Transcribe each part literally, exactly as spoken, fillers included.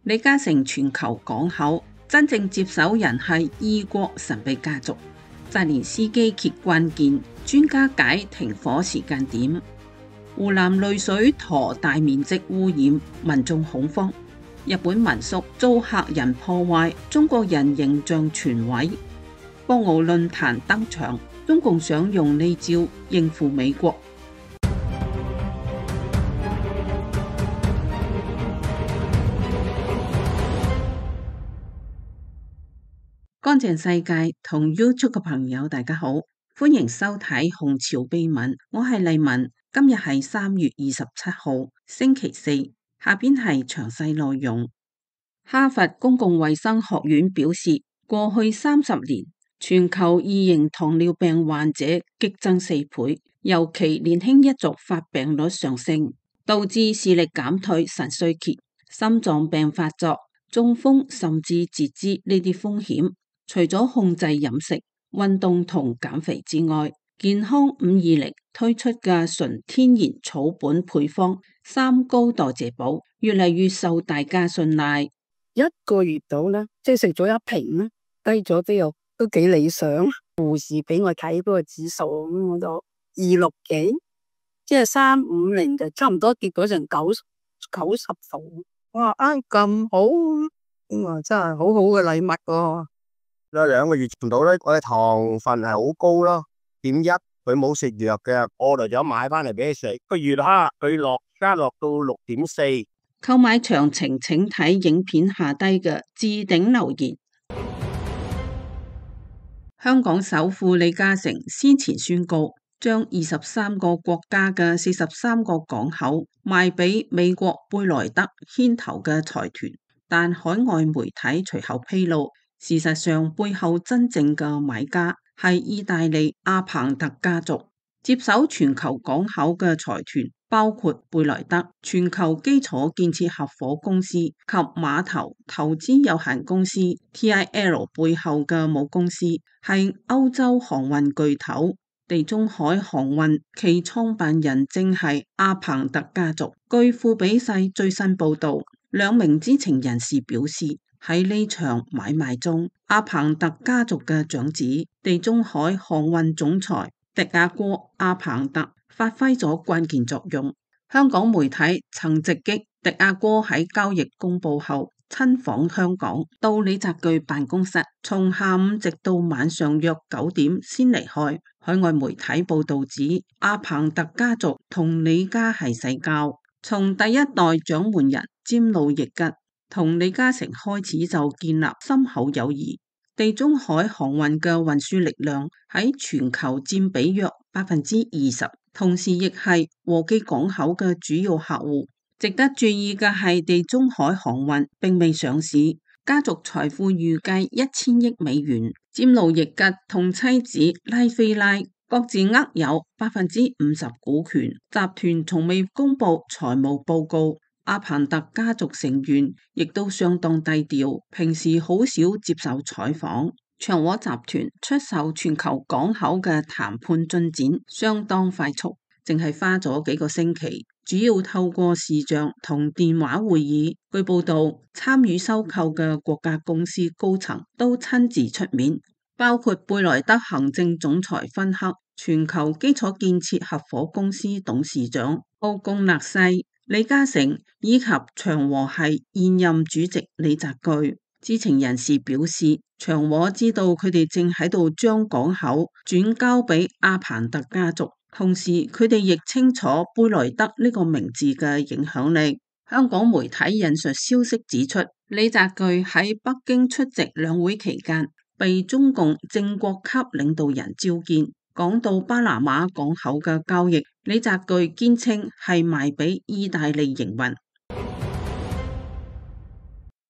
李嘉誠全球港口真正接手人係伊國神秘家族。澤連斯基揭關鍵，專家解停火時間點。湖南濾水塘大面積污染，民眾恐慌。日本民宿遭客人破壞，中國人形象全毀。博鰲論壇登場，中共想用呢招應付美國。乾淨世界同 YouTube 嘅朋友大家好，歡迎收睇《紅潮秘聞》，我係麗文，今日係三月二十七號星期四，下邊係詳細內容。哈佛公共衛生學院表示，過去三十年全球二型糖尿病患者激增四倍，尤其年輕一族發病率上升，導致視力減退、腎衰竭、心臟病發作、中風甚至截肢呢啲風險。除咗控制飲食、運動同減肥之外，健康五二零推出嘅純天然草本配方三高代謝寶越嚟越受大家信賴。一個月到啦，即係食咗一瓶啦，低咗都有都幾理想。護士俾我睇嗰個指數，我就二六幾，即係三五零就差唔多，結果成九九十度。哇，啱咁好，哇，真係好好嘅禮物喎。有兩個月唔到咧，我嘅糖分係好高咯，點一佢冇食藥嘅，我就咗買翻嚟俾佢食。個月哈佢落加落到六點四。購買詳情請睇影片下低嘅置頂留言。香港首富李嘉誠先前宣告，將二十三個國家嘅四十三個港口賣俾美國貝萊德牽頭嘅財團，但海外媒體隨後披露，事實上背後真正嘅買家係意大利阿彭特家族。接手全球港口嘅財團包括貝萊德、全球基礎建設合夥公司及碼頭投資有限公司 T I L 背後嘅母公司係歐洲航運巨頭地中海航運，其創辦人正係阿彭特家族。據富比世最新報道，兩名知情人士表示，喺呢場買賣中，阿彭特家族嘅長子地中海航運總裁迪亞哥阿彭特發揮咗關鍵作用。香港媒體曾直擊迪亞哥喺交易公布後親訪香港，到李澤鉅辦公室，從下午直到晚上約九點先離開。海外媒體報道指，阿彭特家族同李家係世交，從第一代掌門人詹路易吉同李嘉誠開始就建立深厚友誼。地中海航運嘅運輸力量喺全球佔比約百分之二十，同時亦係和記港口嘅主要客戶。值得注意嘅係，地中海航運並未上市，家族財富預計一千億美元。詹路易吉同妻子拉菲拉各自握有百分之五十股權，集團從未公布財務報告。阿彭特家族成員亦都相當低調，平時好少接受採訪。長和集團出售全球港口嘅談判進展相當快速，淨係花咗幾個星期，主要透過視像同電話會議。據報道，參與收購嘅國家公司高層都親自出面，包括貝萊德行政總裁芬克、全球基礎建設合夥公司董事長奧貢納西、李嘉誠以及長和系現任主席李澤鉅。知情人士表示，長和知道佢哋正喺度將港口轉交俾阿彭特家族，同時佢哋亦清楚貝萊德呢個名字嘅影響力。香港媒體引述消息指出，李澤鉅喺北京出席兩會期間，被中共正國級領導人召見。講到巴拿馬港口嘅交易，李澤鉅堅稱係賣俾意大利營運。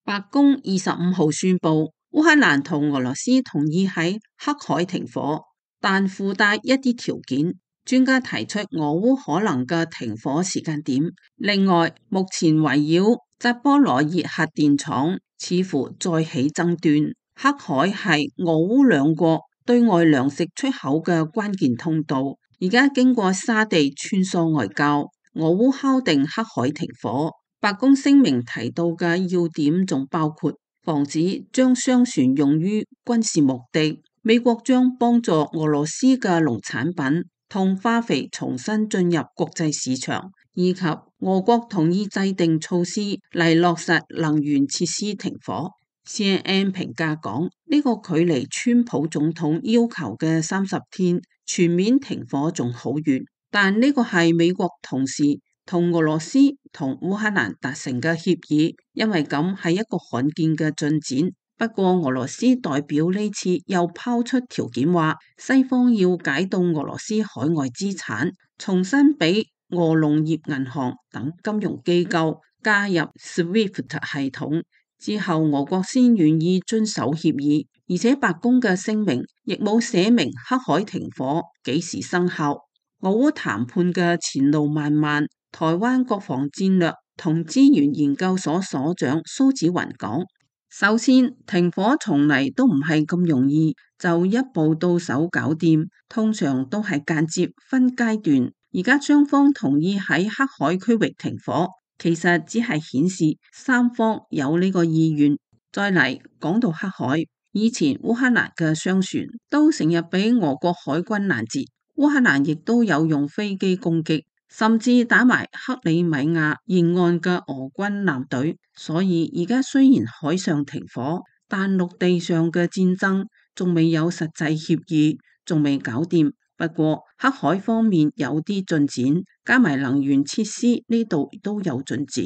白宮二十五號宣布，烏克蘭同俄羅斯同意喺黑海停火，但附帶一啲條件。專家提出俄烏可能嘅停火時間點。另外，目前圍繞扎波羅熱核電廠似乎再起爭端。黑海係俄烏兩國對外糧食出口嘅關鍵通道，而家經過沙地穿梭外交，俄烏敲定黑海停火。白宮聲明提到嘅要點仲包括防止將商船用於軍事目的，美國將幫助俄羅斯嘅農產品同化肥重新進入國際市場，以及俄國同意制定措施嚟落實能源設施停火。C N N 評價講，呢個距離川普總統要求嘅三十天全面停火仲好遠，但呢個係美國同時同俄羅斯同烏克蘭達成嘅協議，因為咁係一個罕見嘅進展。不過俄羅斯代表呢次又拋出條件，話西方要解凍俄羅斯海外資產，重新俾俄農業銀行等金融機構加入 SWIFT 系統。之後俄國先願意遵守協議，而且白宮嘅聲明亦冇寫明黑海停火幾時生效。俄烏談判嘅前路漫漫，台灣國防戰略同資源研究所所長蘇紫雲講，首先停火從嚟都唔係咁容易就一步到手搞掂，通常都係間接分階段。而家雙方同意喺黑海區域停火，其實只係顯示三方有呢個意願。再嚟講到黑海，以前烏克蘭嘅商船都成日俾俄國海軍攔截，烏克蘭亦都有用飛機攻擊，甚至打埋克里米亞沿岸嘅俄軍艦隊。所以而家雖然海上停火，但陸地上嘅戰爭仲未有實際協議，仲未搞掂。不過黑海方面有啲進展，加埋能源設施呢度都有進展，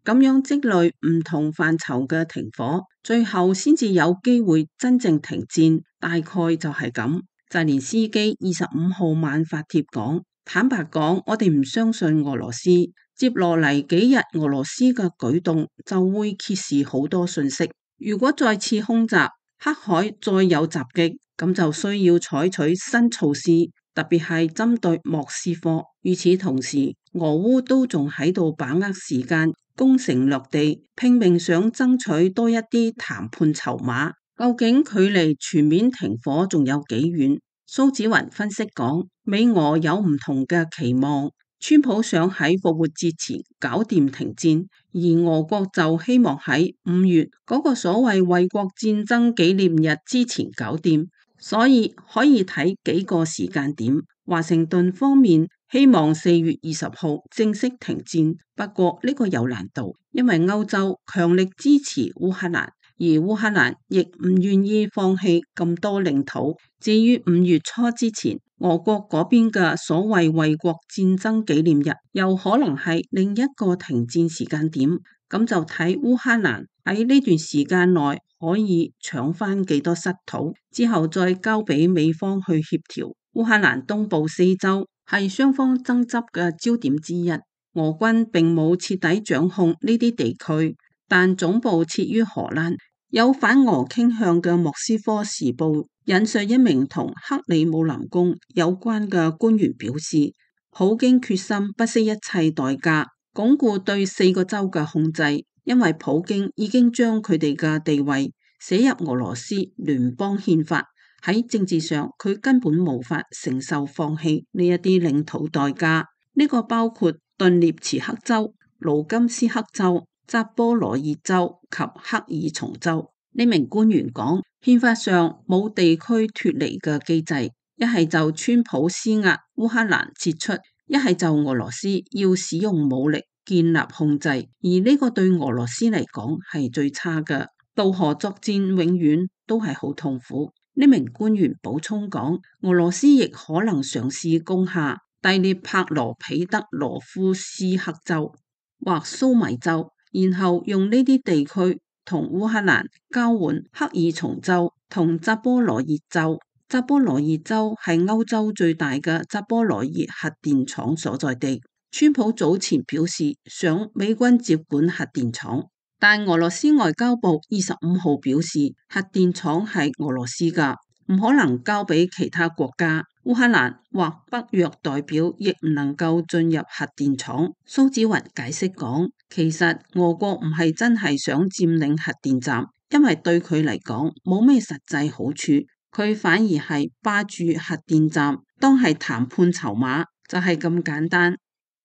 咁樣積累唔同範疇嘅停火，最後先至有機會真正停戰。大概就係咁。澤連斯基二十五號晚發帖講，坦白講，我哋唔相信俄羅斯。接落嚟幾日俄羅斯嘅舉動就會揭示好多信息。如果再次空襲，黑海再有襲擊，咁就需要採取新措施，特別係針對莫斯科。與此同時，俄烏都仲喺度把握時間，攻城略地，拼命想爭取多一啲談判籌碼。究竟距離全面停火仲有幾遠？蘇紫雲分析講，美俄有唔同嘅期望。川普想喺復活節前搞掂停戰，而俄國就希望喺五月嗰個所謂衛國戰爭紀念日之前搞掂，所以可以睇幾個時間點。華盛頓方面希望四月二十號正式停戰，不過呢個有難度，因為歐洲強力支持烏克蘭，而烏克蘭亦唔願意放棄咁多領土。至於五月初之前，俄國嗰邊嘅所謂衛國戰爭紀念日，又可能係另一個停戰時間點。咁就睇烏克蘭喺呢段時間內可以搶翻幾多失土，之後再交俾美方去協調。烏克蘭東部四州係雙方爭執嘅焦點之一，俄軍並冇徹底掌控呢啲地區，但總部設於荷蘭。有反俄傾向嘅莫斯科時報引述一名同克里姆林宮有關嘅官員表示，普京決心不惜一切代價鞏固對四個州嘅控制，因為普京已經將佢哋嘅地位寫入俄羅斯聯邦憲法。喺政治上，佢根本無法承受放棄呢一啲領土代價。呢個包括頓涅茨克州、盧甘斯克州、扎波羅熱州及克爾松州。呢名官員講，憲法上冇地區脫離嘅機制，一係就川普施壓烏克蘭撤出，一係就俄羅斯要使用武力建立控制，而呢個對俄羅斯嚟講係最差嘅。渡河作戰永遠都係好痛苦。呢名官員補充講，俄羅斯亦可能嘗試攻下第聶伯羅彼得羅夫斯克州或蘇米州，然後用呢啲地區同烏克蘭交換克爾松州同扎波羅熱州。扎波羅熱州係歐洲最大嘅扎波羅熱核電廠所在地。川普早前表示想美軍接管核電廠，但俄羅斯外交部二十五號表示，核電廠係俄羅斯噶，唔可能交俾其他國家。烏克蘭或北約代表亦唔能夠進入核電廠。蘇紫雲解釋講，其實俄國唔係真係想佔領核電站，因為對佢嚟講冇咩實際好處，佢反而係霸住核電站，當係談判籌碼，就係咁簡單。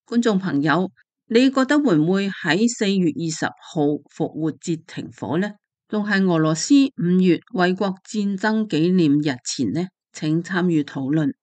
觀眾朋友，你覺得會唔會喺四月二十號復活節停火呢？仲係俄羅斯五月衛國戰爭紀念日前呢？請參與討論。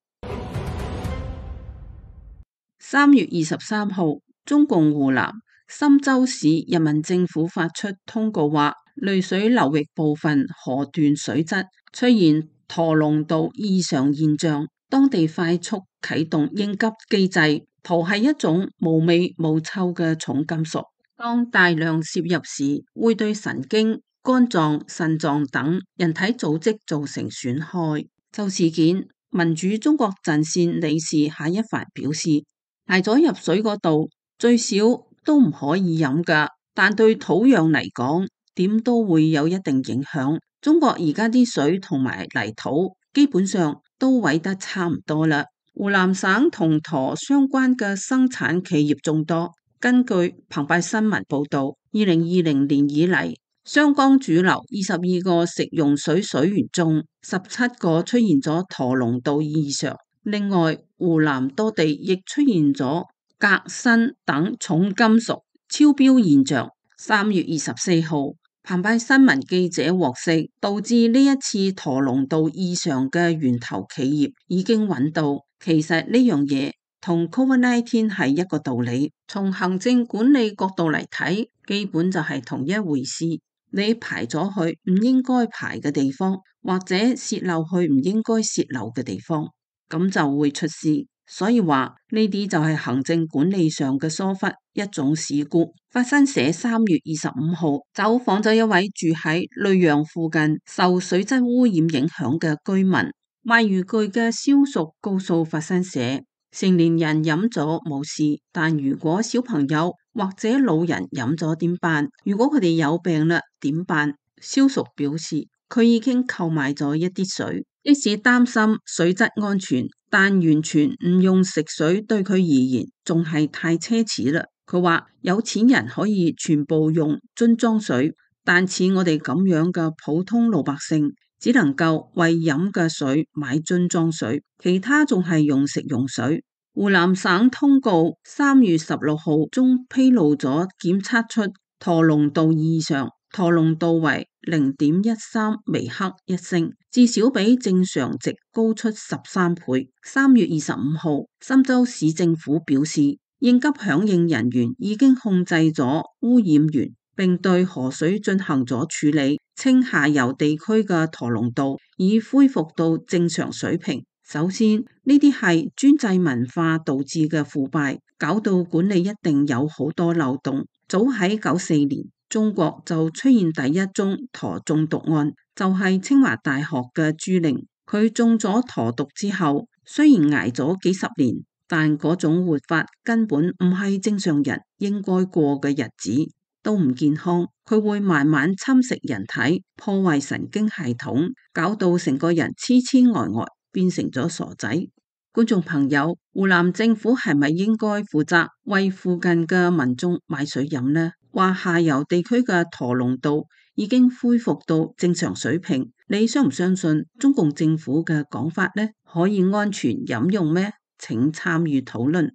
三月二十三號，中共湖南郴州市人民政府發出通告話，溧水流域部分河段水質出現駝龍度異常現象，當地快速啟動應急機制。駝係一種無味無臭嘅重金屬，當大量攝入時，會對神經、肝臟、腎臟等人體組織造成損害。就事件，民主中國陣線理事夏一帆表示，排咗入水嗰度最少都唔可以飲㗎，但對土壤嚟講，點都會有一定影響。中國而家啲水同埋泥土基本上都毀得差唔多啦。湖南省同駝相關嘅生產企業眾多。根據澎湃新聞報道，二零二零年以嚟，湘江主流二十二個食用水水源中，十七個出現咗駝龍度異常。另外，湖南多地亦出現咗鎘、砷等重金屬超標現象。三月二十四號，澎湃新聞記者獲悉，導致呢一次駝龍度異常嘅源頭企業已經揾到。其實呢樣嘢同 Covid 十九 係一個道理，從行政管理角度嚟睇，基本就係同一回事。你排咗去唔應該排嘅地方，或者洩漏去唔應該洩漏嘅地方，咁就會出事。所以話呢啲就係行政管理上嘅疏忽，一種事故。法新社三月二十五號走訪咗一位住喺溧陽附近受水質污染影響嘅居民，賣漁具嘅蕭淑告訴法新社，成年人飲咗冇事，但如果小朋友或者老人飲咗點辦？如果佢哋有病啦，點辦？蕭淑表示，佢已經購買咗一啲水，即使擔心水質安全，但完全唔用食水對佢而言仲係太奢侈啦。佢話有錢人可以全部用樽裝水，但似我哋咁樣嘅普通老百姓，只能夠為飲嘅水買樽裝水，其他仲係用食用水。湖南省通告三月十六號中披露咗檢測出駝龍度異常，駝龍度為零點一三微克一升，至少比正常值高出十三倍。三月二十五號，郴州市政府表示，應急響應人員已經控制咗污染源，並對河水進行咗處理，稱下游地區嘅駝龍度已恢復到正常水平。首先，呢啲係專制文化導致嘅腐敗，搞到管理一定有好多漏洞。早喺九四年，中國就出現第一宗駝中毒案，就係、是、清華大學嘅朱玲，佢中咗駝毒之後，雖然挨咗幾十年，但嗰種活法根本唔係正常人應該過嘅日子，都唔健康。佢會慢慢侵蝕人體，破壞神經系統，搞到成個人痴痴呆呆，變成咗傻仔。觀眾朋友，湖南政府係咪應該負責為附近嘅民眾買水飲呢？話下游地區嘅駝龍度已經恢復到正常水平，你相唔相信中共政府嘅講法呢？可以安全飲用咩？請參與討論。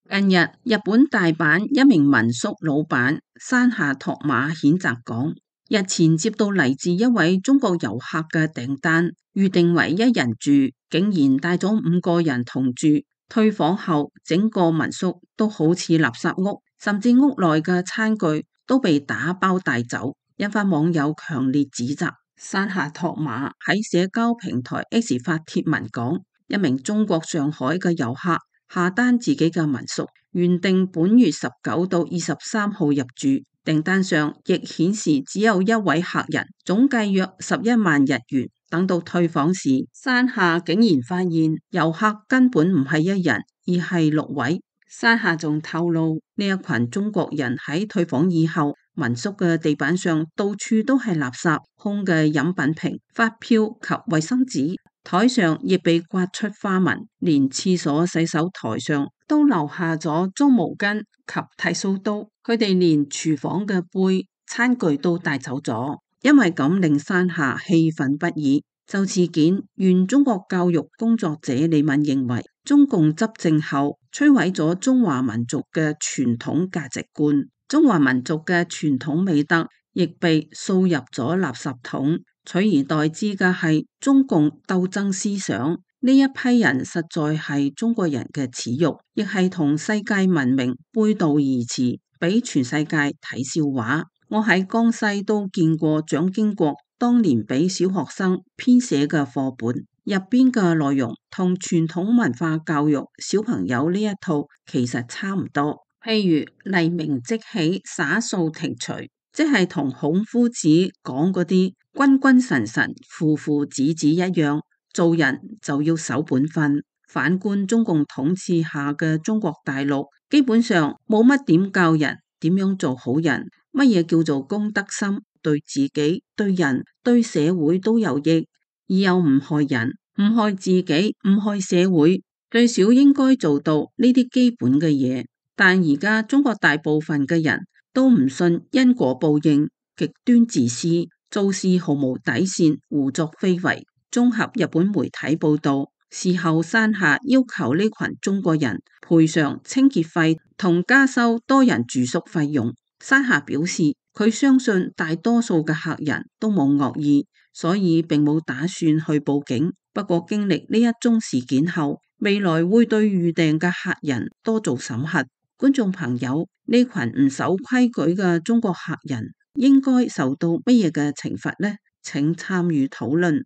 近日，日本大阪一名民宿老闆山下拓馬譴責講，日前接到嚟自一位中國遊客嘅訂單，預定為一人住，竟然帶咗五個人同住。退房後，整個民宿都好似垃圾屋，甚至屋內嘅餐具都被打包帶走，引發網友強烈指責。山下拓馬喺社交平台 X 發帖文講，一名中國上海嘅遊客下單自己嘅民宿，原定本月十九到二十三號入住，訂單上亦顯示只有一位客人，總計約十一萬日元。等到退房時，山下竟然發現遊客根本唔係一人，而係六位。山下仲透露，呢一群中國人喺退房以後，民宿嘅地板上到處都係垃圾，空嘅飲品瓶、發票及衛生紙，台上亦被刮出花紋，連廁所洗手台上都留下咗髒毛巾及剃鬚刀。佢哋連廚房嘅杯、餐具都帶走咗。因為咁令山下氣憤不已，就事件，原中國教育工作者李敏認為，中共執政後摧毀咗中華民族嘅傳統價值觀，中華民族嘅傳統美德亦被掃入咗垃圾桶，取而代之嘅係中共鬥爭思想。呢一批人實在係中國人嘅恥辱，亦係同世界文明背道而馳，俾全世界睇笑話。我喺江西都見過蔣經國當年俾小學生編寫嘅課本，入邊嘅內容同傳統文化教育小朋友呢一套其實差唔多。譬如黎明即起，灑掃庭除，即係同孔夫子講嗰啲君君臣臣，父父子子一樣，做人就要守本分。反觀中共統治下嘅中國大陸，基本上冇乜點教人點樣做好人，乜嘢叫做公德心，對自己、對人、對社會都有益，而又唔害人、唔害自己、唔害社會，最少應該做到呢啲基本嘅嘢。但而家中國大部分嘅人都唔信因果報應，極端自私，做事毫無底線，胡作非為。綜合日本媒體報道，事後山下要求呢群中國人賠償清潔費同加收多人住宿費用。山下表示，佢相信大多數嘅客人都冇惡意，所以並冇打算去報警。不過經歷呢一宗事件後，未來會對預訂嘅客人多做審核。觀眾朋友，呢群唔守規矩嘅中國客人應該受到乜嘢嘅懲罰呢？請參與討論。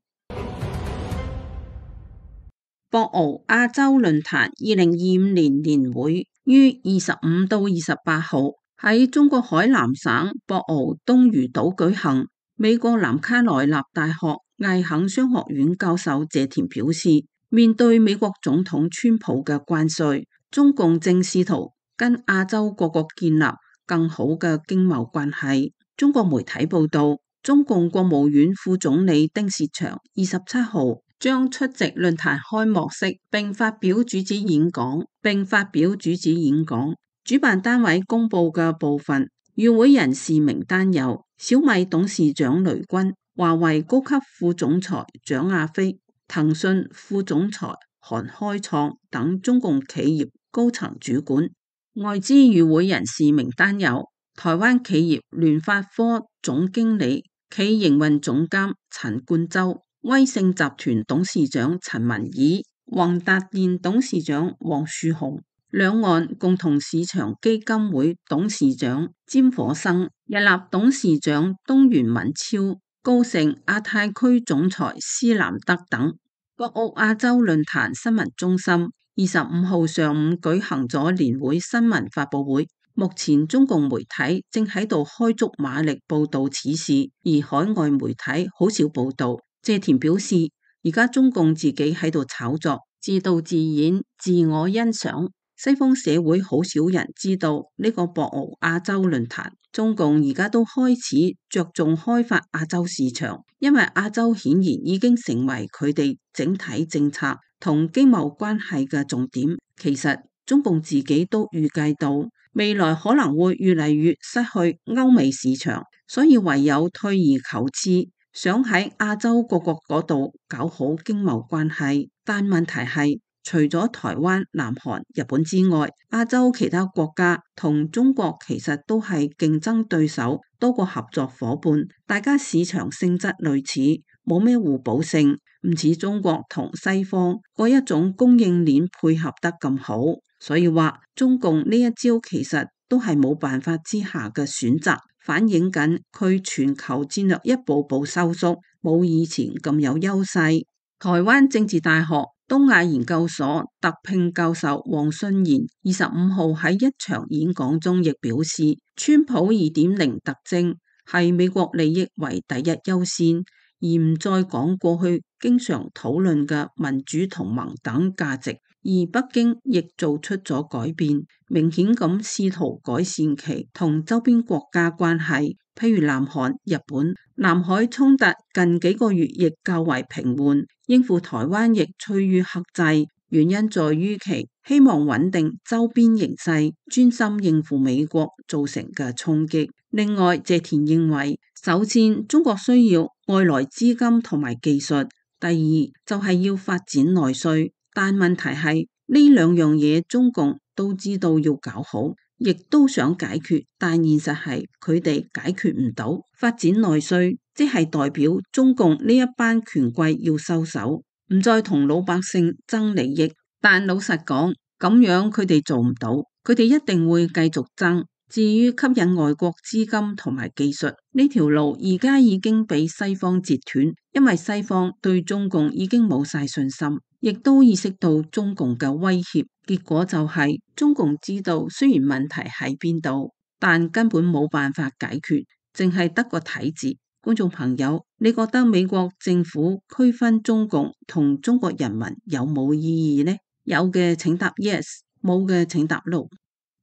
博鰲亞洲論壇二零二五年年會於二十五到二十八號喺中國海南省博鰲東嶼島舉行。美國南卡羅來納大學艾肯商學院教授謝田表示，面對美國總統川普嘅關稅，中共正試圖跟亞洲各國建立更好嘅經貿關係。中國媒體報道，中共國務院副總理丁薛祥二十七號將出席論壇開幕式並發表主旨演講，並發表主旨演講。主辦單位公布嘅部分與會人士名單有小米董事長雷軍、華為高級副總裁蔣亞飛、騰訊副總裁韓開創等中共企業高層主管。外資與會人士名單有台灣企業聯發科總經理、企營運總監陳冠洲、威盛集團董事長陳文義、宏達電董事長黃樹鴻、兩岸共同市場基金會董事長詹火生、日立董事長東原敏超、高盛亞太區總裁施南德等。博鰲亞洲論壇新聞中心二十五號上午舉行咗年會新聞發佈會，目前中共媒體正喺度開足馬力報道此事，而海外媒體好少報道。謝田表示，而家中共自己喺度炒作，自導自演，自我欣賞。西方社會好少人知道呢個博鰲亞洲論壇，中共而家都開始着重開發亞洲市場，因為亞洲顯然已經成為佢哋整體政策同經貿關係嘅重點。其實中共自己都預計到未來可能會越嚟越失去歐美市場，所以唯有退而求次，想喺亞洲各國嗰度搞好經貿關係。但問題係，除咗台灣、南韓、日本之外，亞洲其他國家同中國其實都係競爭對手多過合作夥伴，大家市場性質類似，冇咩互補性，唔似中國同西方嗰一種供應鏈配合得咁好。所以話中共呢一招其實都係冇辦法之下嘅選擇，反映緊佢全球戰略一步步收縮，冇以前咁有優勢。台灣政治大學東亞研究所特聘教授黃信賢二十五號喺一場演講中亦表示，川普二點零特徵係美國利益為第一優先，而唔再講過去經常討論嘅民主同盟等價值。而北京亦做出咗改變，明顯咁試圖改善其同周邊國家關係，譬如南韓、日本。南海衝突近幾個月亦較為平緩，應付台灣亦趨於克制，原因在於其希望穩定周邊形勢，專心應付美國造成嘅衝擊。另外，謝田認為，首先中國需要外來資金同埋技術，第二就係要發展內需，但問題係呢兩樣嘢中共都知道要搞好，亦都想解決，但現實係佢哋解決唔到。發展內需即係代表中共呢一班權貴要收手，唔再同老百姓爭利益。但老實講，咁樣佢哋做唔到，佢哋一定會繼續爭。至於吸引外國資金同埋技術呢條路，而家已經被西方截斷，因為西方對中共已經冇晒信心，亦都意識到中共嘅威脅。結果就係中共知道雖然問題喺邊度，但根本冇辦法解決，淨係得個睇字。觀眾朋友，你覺得美國政府區分中共同中國人民有冇意義呢？有嘅請答 yes， 冇嘅請答 no。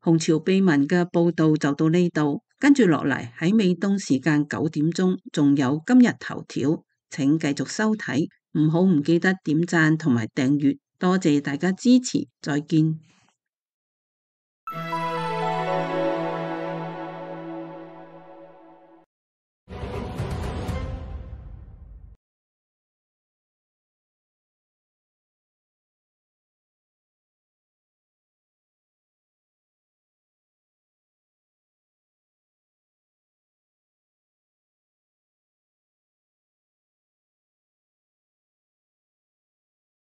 紅潮秘聞嘅報道就到呢度，跟住落嚟喺美東時間九點鐘仲有今日頭條，請繼續收睇，唔好唔記得點讚同埋訂閱，多謝大家支持，再見。